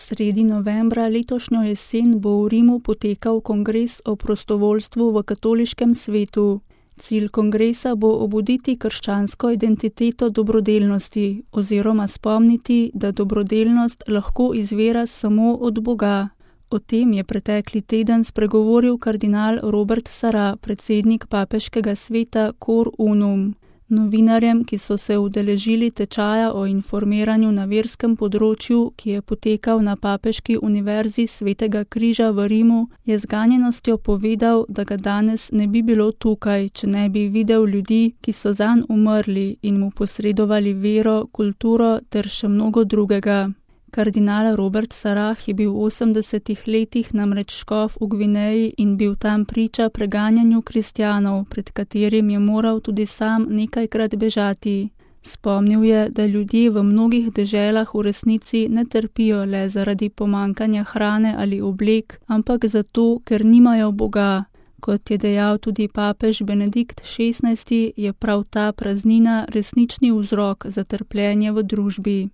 Sredi novembra letošnjo jesen bo v Rimu potekal kongres o prostovoljstvu v katoliškem svetu. Cilj kongresa bo obuditi krščansko identiteto dobrodelnosti oziroma spomniti, da dobrodelnost lahko izvira samo od Boga. O tem je pretekli teden spregovoril kardinal Robert Sarah, predsednik papeškega sveta Cor Unum. Novinarjem, ki so se udeležili tečaja o informiranju na verskem področju, ki je potekal na Papeški univerzi Svetega križa v Rimu, je z ganjenostjo povedal, da ga danes ne bi bilo tukaj, če ne bi videl ljudi, ki so zanj umrli in mu posredovali vero, kulturo ter še mnogo drugega. Kardinal Robert Sarah je bil v 80. letih namreč škof v Gvineji in bil tam priča preganjanju kristjanov, pred katerim je moral tudi sam nekajkrat bežati. Spomnil je, da ljudje v mnogih deželah v resnici ne trpijo le zaradi pomankanja hrane ali oblek, ampak zato, ker nimajo Boga. Kot je dejal tudi papež Benedikt XVI, je prav ta praznina resnični vzrok za trpljenje v družbi.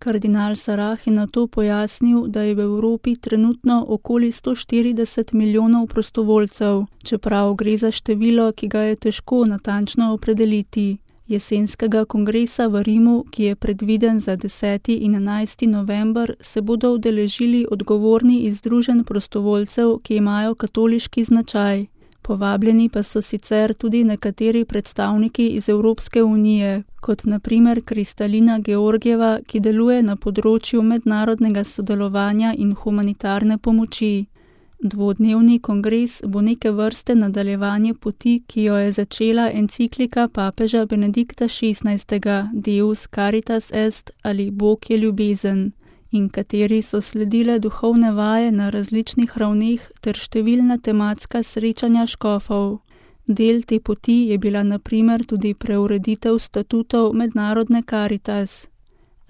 Kardinal Sarah je nato pojasnil, da je v Evropi trenutno okoli 140 milijonov prostovoljcev, čeprav gre za število, ki ga je težko natančno opredeliti. Jesenskega kongresa v Rimu, ki je predviden za 10. in 11. november, se bodo udeležili odgovorni iz združenj prostovoljcev, ki imajo katoliški značaj. Povabljeni pa so sicer tudi nekateri predstavniki iz Evropske unije, kot na primer Kristalina Georgieva, ki deluje na področju mednarodnega sodelovanja in humanitarne pomoči. Dvodnevni kongres bo neke vrste nadaljevanje poti, ki jo je začela enciklika papeža Benedikta XVI. Deus Caritas Est ali Bog je ljubezen, in kateri so sledile duhovne vaje na različnih ravneh ter številna tematska srečanja škofov. Del te poti je bila na primer tudi preureditev statutov mednarodne Caritas.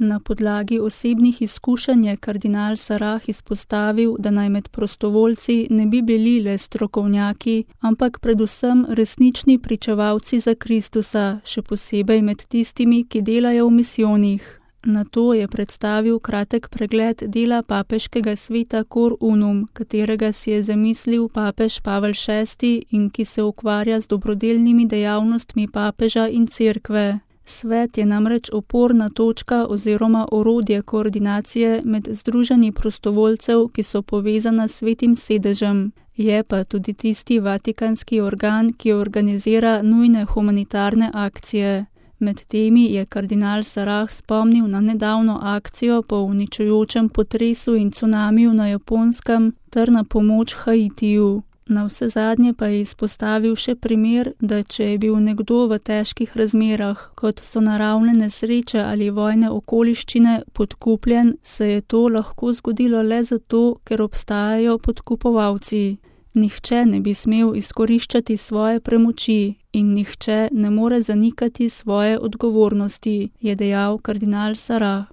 Na podlagi osebnih izkušenj je kardinal Sarah izpostavil, da naj med prostovoljci ne bi bili le strokovnjaki, ampak predvsem resnični pričevalci za Kristusa, še posebej med tistimi, ki delajo v misijonih. Nato je predstavil kratek pregled dela papeškega sveta Cor Unum, katerega si je zamislil papež Pavel VI in ki se ukvarja z dobrodelnimi dejavnostmi papeža in cerkve. Svet je namreč oporna točka oziroma orodje koordinacije med združenji prostovoljcev, ki so povezana s svetim sedežem. Je pa tudi tisti vatikanski organ, ki organizira nujne humanitarne akcije. Med temi je kardinal Sarah spomnil na nedavno akcijo po uničujočem potresu in cunamiju na Japonskem ter na pomoč Haitiju. Navsezadnje pa je izpostavil še primer, da če je bil nekdo v težkih razmerah, kot so naravne nesreče ali vojne okoliščine, podkupljen, se je to lahko zgodilo le zato, ker obstajajo podkupovalci. Nihče ne bi smel izkoriščati svoje premoči in nihče ne more zanikati svoje odgovornosti, je dejal kardinal Sarah.